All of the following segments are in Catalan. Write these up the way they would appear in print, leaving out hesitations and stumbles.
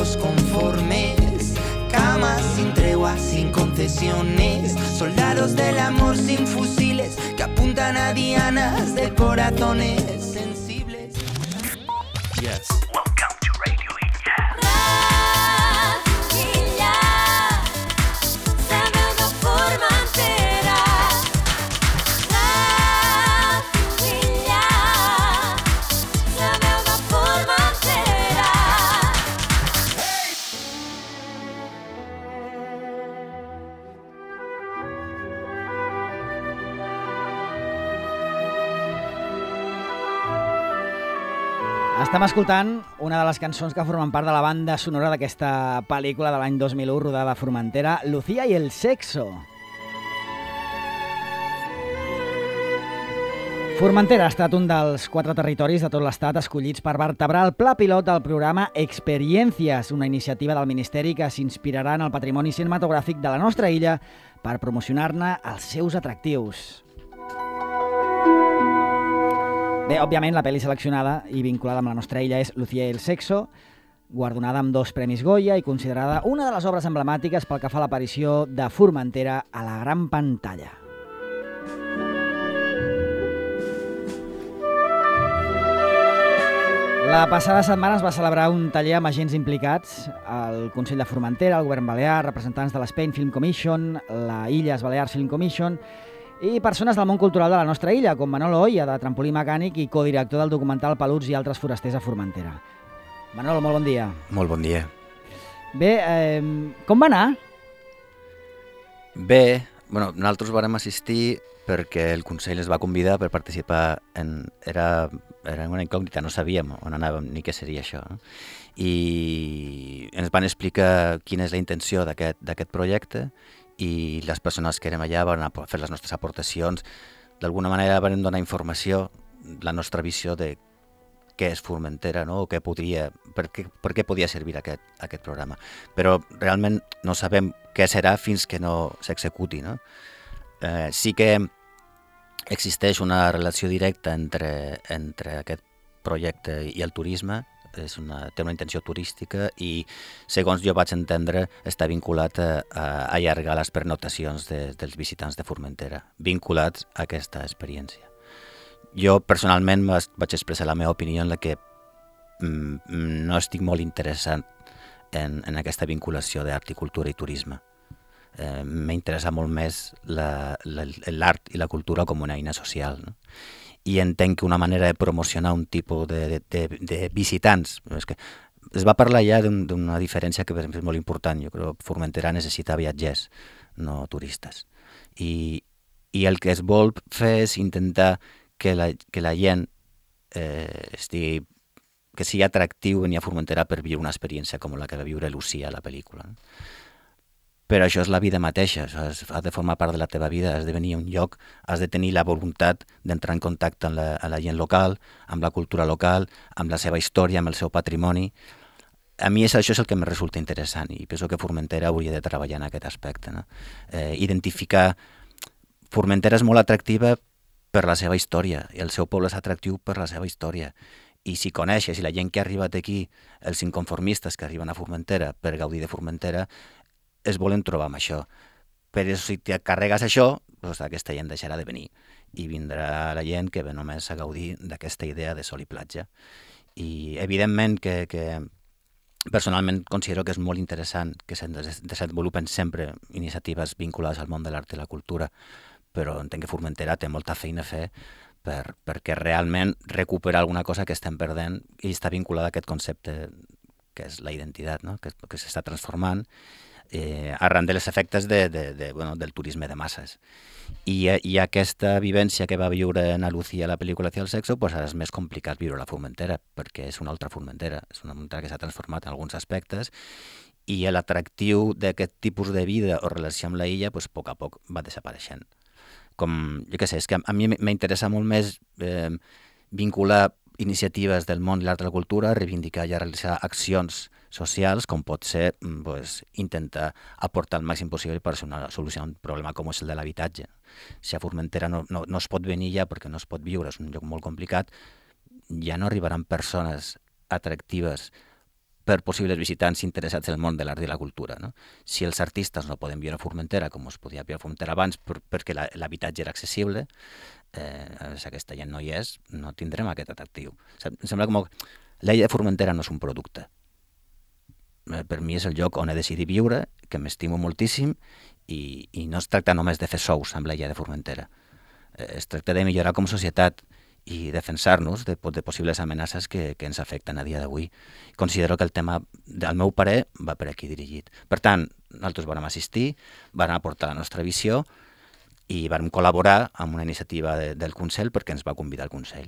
los conformes, camas sin tregua, sin concesiones, soldados del amor sin fusiles que apuntan a dianas de corazones sensibles. Yes. Welcome to Radio Illa. Estem escoltant una de les cançons que formen part de la banda sonora d'aquesta pel·lícula de l'any 2001 rodada a Formentera, Lucía y el sexo. Formentera ha estat un dels 4 territoris de tot l'estat escollits per vertebrar el pla pilot del programa Experiencias, una iniciativa del Ministeri que s'inspirarà en el patrimoni cinematogràfic de la nostra illa per promocionar-ne els seus atractius. Bé, òbviament, la pel·li seleccionada i vinculada amb la nostra illa és Lucía y el sexo, guardonada amb 2 premis Goya i considerada una de les obres emblemàtiques pel que fa a l'aparició de Formentera a la gran pantalla. La passada setmana es va celebrar un taller amb agents implicats, el Consell de Formentera, el Govern Balear, representants de l'Spain Film Commission, la Illes Balears Film Commission i persones del món cultural de la nostra illa, com Manolo Oia, de Trampolí Mecànic i codirector del documental Peluts i altres forasters a Formentera. Manolo, molt bon dia. Molt bon dia. Bé, com va anar? Bé, bueno, nosaltres vàrem assistir perquè el Consell es va convidar per participar en... Era una incògnita, no sabíem on anàvem ni què seria això, no? I ens van explicar quina és la intenció d'aquest projecte i les persones que érem allà van fer les nostres aportacions. D'alguna manera van donar informació, la nostra visió de què és Formentera, no? O per què podia servir aquest programa. Però realment no sabem què serà fins que no s'executi, no? Sí que existeix una relació directa entre aquest projecte i el turisme. Té una intenció turística i, segons jo vaig entendre, està vinculat a allargar les pernoctacions dels visitants de Formentera, vinculats a aquesta experiència. Jo, personalment, vaig expressar la meva opinió en la que no estic molt interessat en aquesta vinculació d'art i cultura i turisme. M'interessa molt més l'art i la cultura com una eina social, no? I entenc que una manera de promocionar un tipus de visitants, és que es va parlar ja d'una diferència que és molt important. Jo crec que Formentera necessita viatgers, no turistes. I el que es vol fer és intentar que la gent que sigui atractiu venir a Formentera per viure una experiència com la que va viure Lucía a la pel·lícula, no? Però això és la vida mateixa, has de formar part de la teva vida, has de venir a un lloc, has de tenir la voluntat d'entrar en contacte amb la gent local, amb la cultura local, amb la seva història, amb el seu patrimoni. A mi això és el que em resulta interessant i penso que Formentera hauria de treballar en aquest aspecte, no? Identificar... Formentera és molt atractiva per la seva història i el seu poble és atractiu per la seva història. I si coneixes, i la gent que ha arribat aquí, els inconformistes que arriben a Formentera per gaudir de Formentera, es volen trobar amb això. Però si te carregues això, doncs aquesta gent deixarà de venir i vindrà la gent que ve només a gaudir d'aquesta idea de sol i platja. I evidentment que personalment considero que és molt interessant que se'n desenvolupen sempre iniciatives vinculades al món de l'art i la cultura, però entenc que Formentera té molta feina a fer perquè realment recuperar alguna cosa que estem perdent i està vinculada a aquest concepte que és la identitat, no? que s'està transformant arran dels efectes del turisme de masses. I aquesta vivència que va viure en Lucía a la pel·lícula Lucía y el sexo, pues ara és més complicat viure a la Formentera, perquè és una altra Formentera, és una Formentera que s'ha transformat en alguns aspectes i l'atractiu d'aquest tipus de vida o relació amb la illa, pues, a poc va desapareixent. Com, jo què sé, és que a mi m'interessa molt més vincular iniciatives del món i l'art de la cultura, reivindicar i realitzar accions socials, com pot ser intentar aportar el màxim possible per solucionar un problema com és el de l'habitatge. Si a Formentera no es pot venir ja perquè no es pot viure, és un lloc molt complicat, ja no arribaran persones atractives per possibles visitants interessats en el món de l'art i la cultura. No? Si els artistes no poden viure a Formentera, com es podia viure a Formentera abans, perquè l'habitatge era accessible, si aquesta gent no hi és, no tindrem aquest atractiu. Em sembla com l'illa de Formentera no és un producte. Per mi és el lloc on he decidit viure, que m'estimo moltíssim, i no es tracta només de fer sous amb l'illa de Formentera. Es tracta de millorar com a societat i defensar-nos de possibles amenaces que ens afecten a dia d'avui. Considero que el tema, al meu parer, va per aquí dirigit. Per tant, nosaltres vam assistir, vam aportar la nostra visió i vam col·laborar amb una iniciativa del Consell perquè ens va convidar al Consell.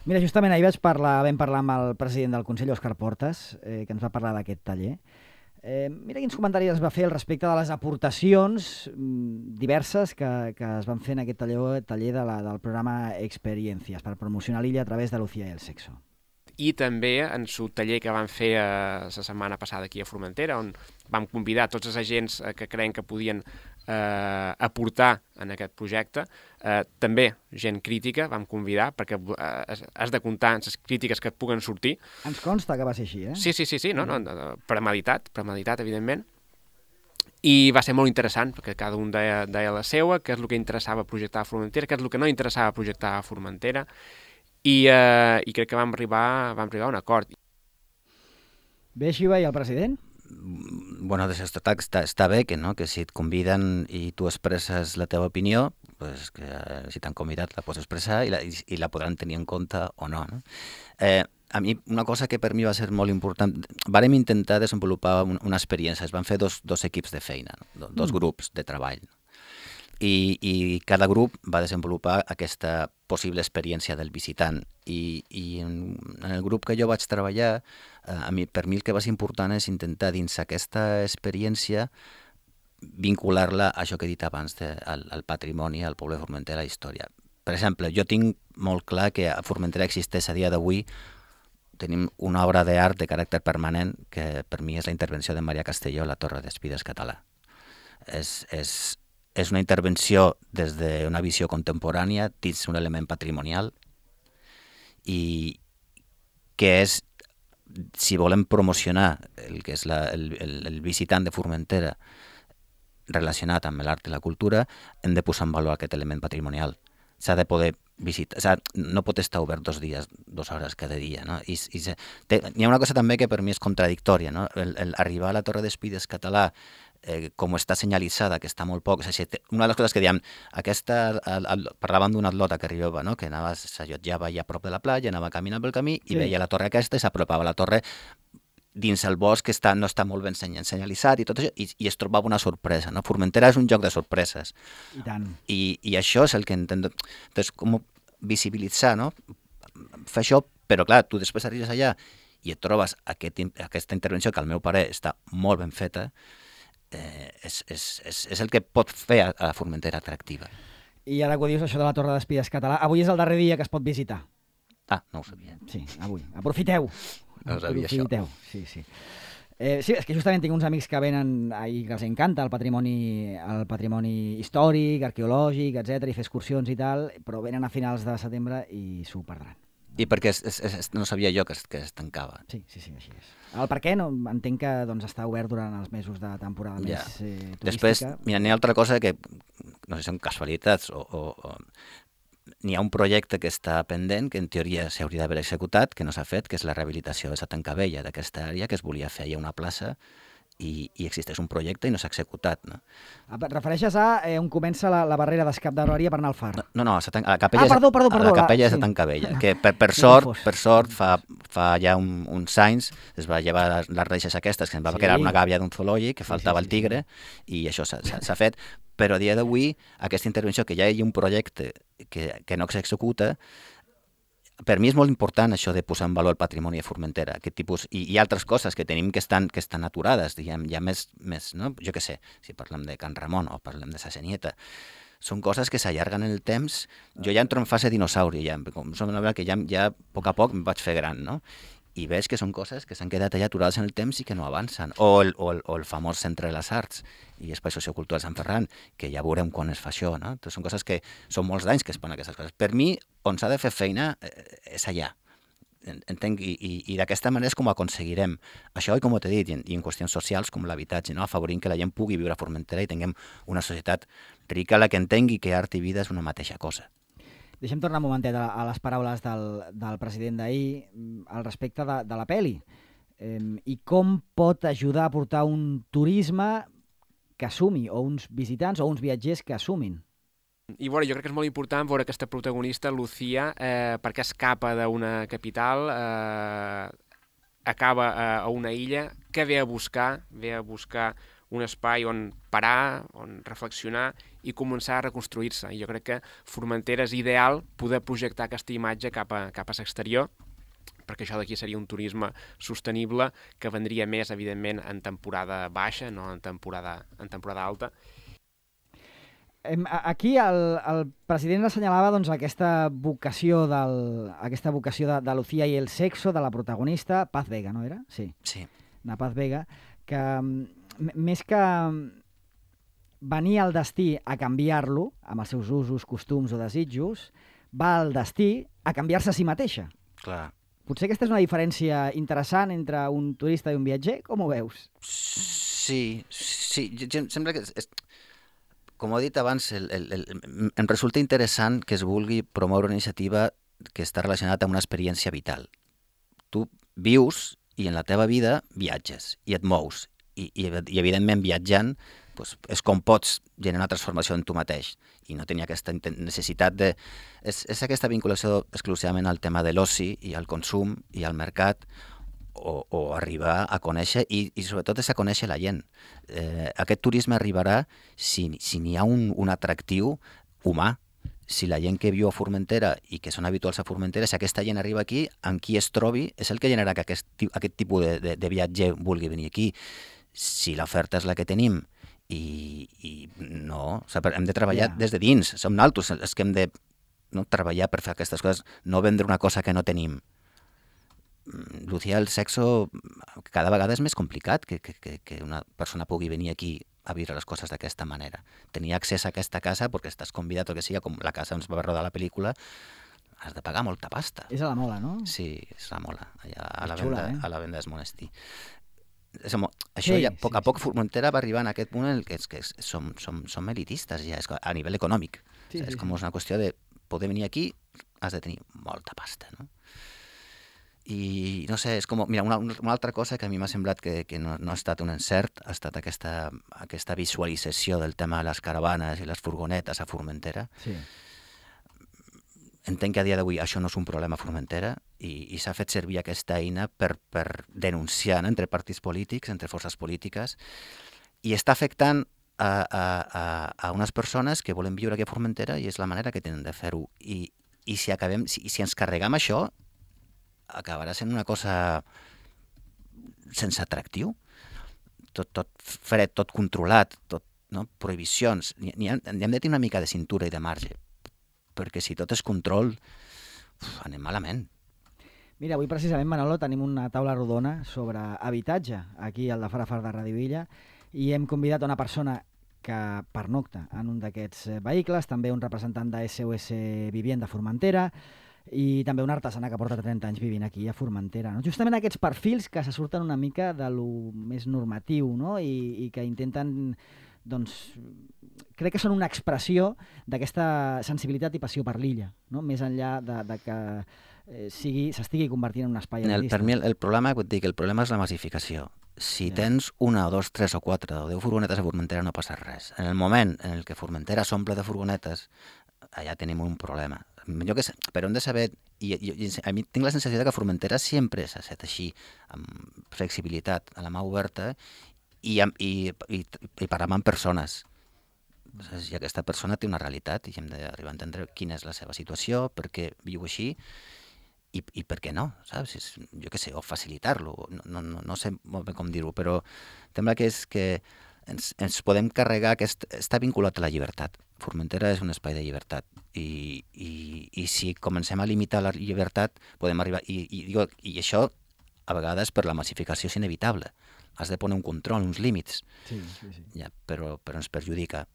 Mira, justament ahir vam parlar amb el president del Consell, Òscar Portas, que ens va parlar d'aquest taller. Mira quins comentaris es va fer al respecte de les aportacions diverses que es van fer en aquest taller del programa Experiencias per promocionar l'illa a través de Lucía y el sexo. I també en el taller que vam fer la setmana passada aquí a Formentera, on vam convidar tots els agents que creiem que podien aportar en aquest projecte. També gent crítica vam convidar, perquè has de comptar amb les crítiques que et puguen sortir. Ens consta que va ser així, eh? Sí, no, premeditat, evidentment. I va ser molt interessant, perquè cada un deia la seva, què és el que interessava projectar a Formentera, què és el que no interessava projectar a Formentera, i crec que vam arribar a un acord. Bé, Xiva, i el president? Bueno, està bé que, no? Que si et conviden i tu expresses la teva opinió, pues que si t'han convidat la pots expressar i la podran tenir en compte o no. No? A mi una cosa que per mi va ser molt important, vàrem intentar desenvolupar una experiència, es van fer dos equips de feina, no? Dos grups de treball. I cada grup va desenvolupar aquesta possible experiència del visitant. I en el grup que jo vaig treballar, per mi el que va ser important és intentar dins aquesta experiència vincular-la a això que he dit abans, al patrimoni, al poble de Formentera, a la història. Per exemple, jo tinc molt clar que a Formentera existeix a dia d'avui, tenim una obra d'art de caràcter permanent que per mi és la intervenció de Maria Castelló a la Torre d'Espides Català. És una intervenció des d'una visió contemporània dins un element patrimonial i que és, si volem promocionar el que és el visitant de Formentera relacionat amb l'art i la cultura, hem de posar en valor aquest element patrimonial. S'ha de poder visitar, no pot estar obert 2 dies, 2 hores cada dia. No? Hi ha una cosa també que per mi és contradictòria, no? Arribar a la Torre d'Espides Català com està senyalitzada, que està molt poc. Una de les coses que diem, parlàvem d'una atleta que arribava, no? Que s'allotjava allà a prop de la platja, anava caminant pel camí i veia la torre aquesta i s'apropava a la torre dins el bosc que no està molt ben senyalitzat i tot això, i es trobava una sorpresa. No? Formentera és un joc de sorpreses. I tant. I això és el que entenc. Entonces, com visibilitzar, no? Fer això, però clar, tu després arribes allà i et trobes aquesta intervenció que al meu parer està molt ben feta, és el que pot fer a Formentera atractiva. I ara que ho dius, això de la Torre d'Espides Català, avui és el darrer dia que es pot visitar. Ah, no ho sabia. Sí, avui. Aprofiteu. No ho sabia, això. Sí. Sí, és que justament tinc uns amics que venen i que els encanta el patrimoni històric, arqueològic, etc, i fer excursions i tal, però venen a finals de setembre i s'ho perdran. I perquè no sabia jo que es tancava. Sí, així és. El per què? No, entenc que està obert durant els mesos de temporada més turística. Després, mira, n'hi ha altra cosa que, no sé si són casualitats o n'hi ha un projecte que està pendent, que en teoria s'hauria d'haver executat, que no s'ha fet, que és la rehabilitació de la Tancabella, d'aquesta àrea, que es volia fer a una plaça, i existeix un projecte i no s'ha executat. No? Et refereixes a on comença la barrera d'escap d'Aròria per anar al far? No, la capella perdó. La capella és a Tancabella, que per sort fa ja uns anys es va llevar les reixes aquestes, que ens va quedar una gàbia d'un zoològic, que faltava el tigre, i això s'ha fet. Però a dia d'avui, aquesta intervenció, que ja hi ha un projecte que no s'executa, per mi és molt important això de posar en valor el patrimoni de Formentera, aquest tipus, i altres coses que tenim que estan aturades, diguem, ja més, no? Jo què sé, si parlem de Can Ramon o parlem de Sa Senyeta, són coses que s'allarguen en el temps. Jo ja entro en fase dinosauri, que ja a poc em vaig fer gran, no? I veig que són coses que s'han quedat allà aturades en el temps i que no avancen. O el famós Centre de les Arts i Espai Sociocultural Sant Ferran, que ja veurem quan es fa això, no? Són coses que són molts d'anys que es ponen aquestes coses. Per mi, on s'ha de fer feina és allà. entenc, i d'aquesta manera és com ho aconseguirem. Això, i com t'he dit, i en qüestions socials com l'habitatge, no? Afavorint que la gent pugui viure a Formentera i tinguem una societat rica la que entengui que art i vida és una mateixa cosa. Deixem tornar un momentet a les paraules del president d'ahir al respecte de la peli. I com pot ajudar a portar un turisme que assumi, o uns visitants o uns viatgers que assumin. I jo crec que és molt important veure aquesta protagonista, Lucía, perquè escapa d'una capital, acaba a una illa que ve a buscar un espai on parar, on reflexionar i començar a reconstruir-se. I jo crec que Formentera és ideal poder projectar aquesta imatge cap a l'exterior, perquè això d'aquí seria un turisme sostenible que vendria més, evidentment, en temporada baixa, no en temporada alta. Aquí el president assenyalava doncs, aquesta vocació de Lucía i el sexo de la protagonista, Paz Vega, no era? Sí. La Paz Vega, que més que venir al destí a canviar-lo, amb els seus usos, costums o desitjos, va al destí a canviar-se a si mateixa. Clar. Potser aquesta és una diferència interessant entre un turista i un viatger, com ho veus? Sí. Sembla que... Com he dit abans, em resulta interessant que es vulgui promoure una iniciativa que està relacionada amb una experiència vital. Tu vius i en la teva vida viatges i et mous. I evidentment, viatjant doncs, és com pots generar una transformació en tu mateix i no tenir aquesta necessitat de... És aquesta vinculació exclusivament al tema de l'oci i al consum i al mercat, o arribar a conèixer i sobretot és a conèixer la gent. Aquest turisme arribarà si n'hi ha un atractiu humà. Si la gent que viu a Formentera i que són habituals a Formentera, si aquesta gent arriba aquí, amb qui es trobi, és el que generarà que aquest tipus de viatger vulgui venir aquí. Si l'oferta és la que tenim i no... O sigui, hem de treballar des de dins. Som nosaltres els que hem de treballar per fer aquestes coses, no vendre una cosa que no tenim. Lucía, el sexo cada vegada és més complicat que una persona pugui venir aquí a viure les coses d'aquesta manera. Tenir accés a aquesta casa perquè estàs convidat o que sigui, com la casa on es va rodar la pel·lícula, has de pagar molta pasta. És a la Mola, no? Sí, és a la Mola, allà a la venda del monestir. Això ja, a poc a poc Formentera va arribar en aquest punt en què som elitistes ja, a nivell econòmic. És com una qüestió de poder venir aquí, has de tenir molta pasta, no? I no sé, és com... Mira, una altra cosa que a mi m'ha semblat que no ha estat un encert ha estat aquesta visualització del tema de les caravanes i les furgonetes a Formentera. Sí. Entenc que a dia d'avui això no és un problema a Formentera i s'ha fet servir aquesta eina per denunciar entre partits polítics, entre forces polítiques, i està afectant a unes persones que volen viure aquí a Formentera i és la manera que tenen de fer-ho. I si ens carregam això, acabarà sent una cosa sense atractiu, tot fred, tot controlat, prohibicions. Hem de tenir una mica de cintura i de marge, perquè si tot és control, anem malament. Mira, avui precisament, Manolo, tenim una taula rodona sobre habitatge aquí al de Farafar de Radio Illa i hem convidat a una persona que pernocta en un d'aquests vehicles, també un representant de SOS Vivienda Formentera, i també una artesana que porta 30 anys vivint aquí a Formentera. No? Justament aquests perfils que se surten una mica de lo més normatiu, no? I que intenten, doncs, crec que són una expressió d'aquesta sensibilitat i passió per l'illa, no? Més enllà de que s'estigui convertint en un espai artístic. Per mi el problema és la massificació. Si tens una o dos, tres o quatre o 10 furgonetes a Formentera no passa res. En el moment en el que Formentera s'omple de furgonetes, allà tenim un problema. Però hem de saber, i a mi tinc la sensació que Formentera sempre s'ha estat així, amb flexibilitat, a la mà oberta, i parlar amb persones. I aquesta persona té una realitat i hem d'arribar a entendre quina és la seva situació, per què viu així, i per què no, saps? Jo què sé, o facilitar-lo, no sé molt bé com dir-ho, però sembla que és que ens podem carregar, que està vinculat a la llibertat. Formentera és un espai de llibertat i si comencem a limitar la llibertat podem arribar, i això a vegades per la massificació és inevitable, has de posar un control, uns límits. Sí. Ja, però ens perjudica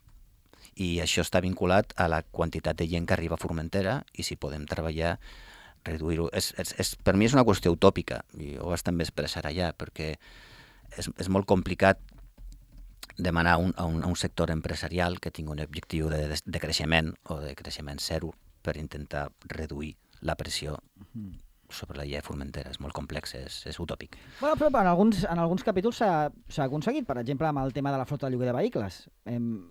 i això està vinculat a la quantitat de gent que arriba a Formentera i si podem treballar reduir-ho. Per mi és una qüestió utòpica, i ho vaig també expressar allà, perquè és molt complicat demanar a un sector empresarial que tingui un objectiu de creixement o de creixement zero per intentar reduir la pressió sobre la llei de Formentera. És molt complex, és utòpic. Bueno, però en alguns capítols s'ha aconseguit, per exemple, amb el tema de la flota de lloguer de vehicles. Hem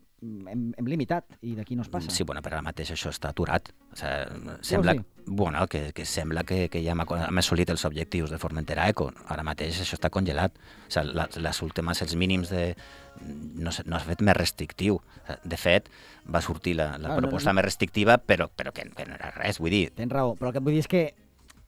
limitat, i d'aquí no es passa. Sí, bueno, però ara mateix això està aturat. O sigui, sembla, bueno, que sembla que ja hem assolit els objectius de Formentera Eco. Ara mateix això està congelat. O sigui, les últimes, els mínims no s'ha fet més restrictiu. De fet, va sortir la proposta més restrictiva, però que no era res, vull dir. Tens raó, però el que vull dir és que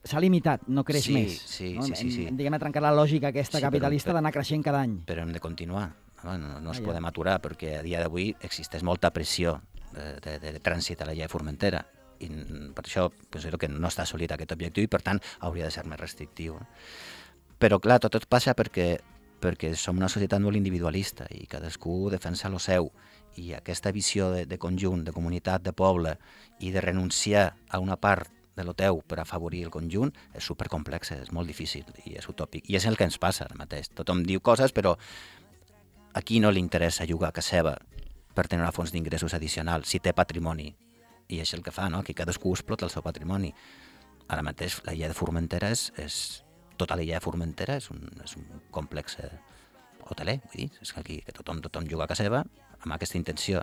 s'ha limitat, no creix més. Sí. Hem diguem, trencat la lògica aquesta capitalista d'anar creixent cada any. Però hem de continuar. No ens podem aturar, perquè a dia d'avui existeix molta pressió de trànsit a la llei de Formentera. I per això considero que no està assolit aquest objectiu i, per tant, hauria de ser més restrictiu. Però, clar, tot passa perquè som una societat molt individualista i cadascú defensa lo seu. I aquesta visió de conjunt, de comunitat, de poble, i de renunciar a una part de lo teu per afavorir el conjunt és supercomplex, és molt difícil i és utòpic. I és el que ens passa ara mateix. Tothom diu coses, però a qui no li interessa jugar a casa seva per tenir una font d'ingressos addicional si té patrimoni? I és el que fa, no? Que cadascú explota el seu patrimoni. Ara mateix la llei de Formentera tota la llei de Formentera és un complex hoteler, vull dir, és que aquí que tothom juga a casa seva amb aquesta intenció.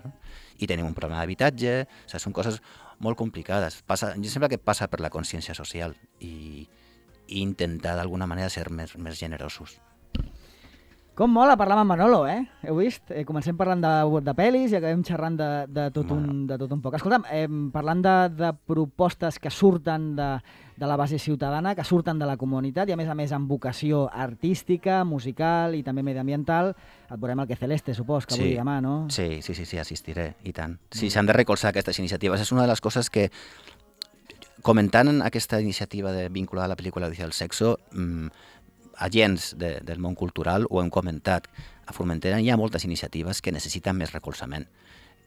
I tenim un problema d'habitatge, o sigui, són coses molt complicades. Jo sembla que passa per la consciència social i intentar d'alguna manera ser més generosos. Com mola parlar amb en Manolo, eh? Heu vist? Comencem parlant de pel·lis i acabem xerrant de tot un poc. Escolta'm, parlant de propostes que surten de la base ciutadana, que surten de la comunitat i a més amb vocació artística, musical i també mediambiental, et veurem al Que Celeste, supos, que avui demà, no? Sí, assistiré, i tant. Sí, s'han de recolzar aquestes iniciatives. És una de les coses que, comentant aquesta iniciativa vinculada a la pel·lícula Odissea del Sexo, agents del món cultural ho hem comentat. A Formentera hi ha moltes iniciatives que necessiten més recolzament,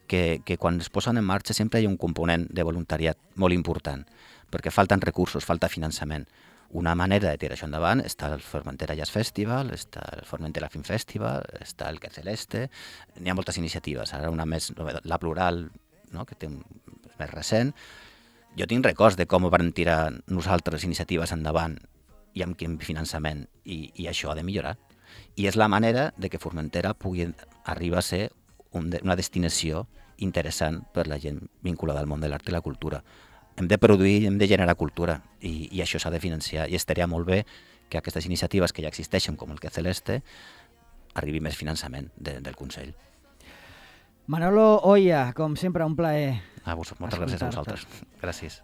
que quan es posen en marxa sempre hi ha un component de voluntariat molt important, perquè falten recursos, falta finançament. Una manera de tirar això endavant està el Formentera Jazz Festival, està el Formentera Film Festival, està el Que Celeste, n'hi ha moltes iniciatives, ara una més, la Plural, no? Que té més recent. Jo tinc records de com van tirar nosaltres iniciatives endavant i amb quin finançament, i això ha de millorar. I és la manera de que Formentera pugui arribar a ser una destinació interessant per la gent vinculada al món de l'art i la cultura. Hem de produir, hem de generar cultura, i això s'ha de financiar, i estaria molt bé que aquestes iniciatives que ja existeixen, com el Que Celeste, arribi més finançament del Consell. Manolo Oya, com sempre, un plaer. Moltes gràcies a vosaltres. Gràcies.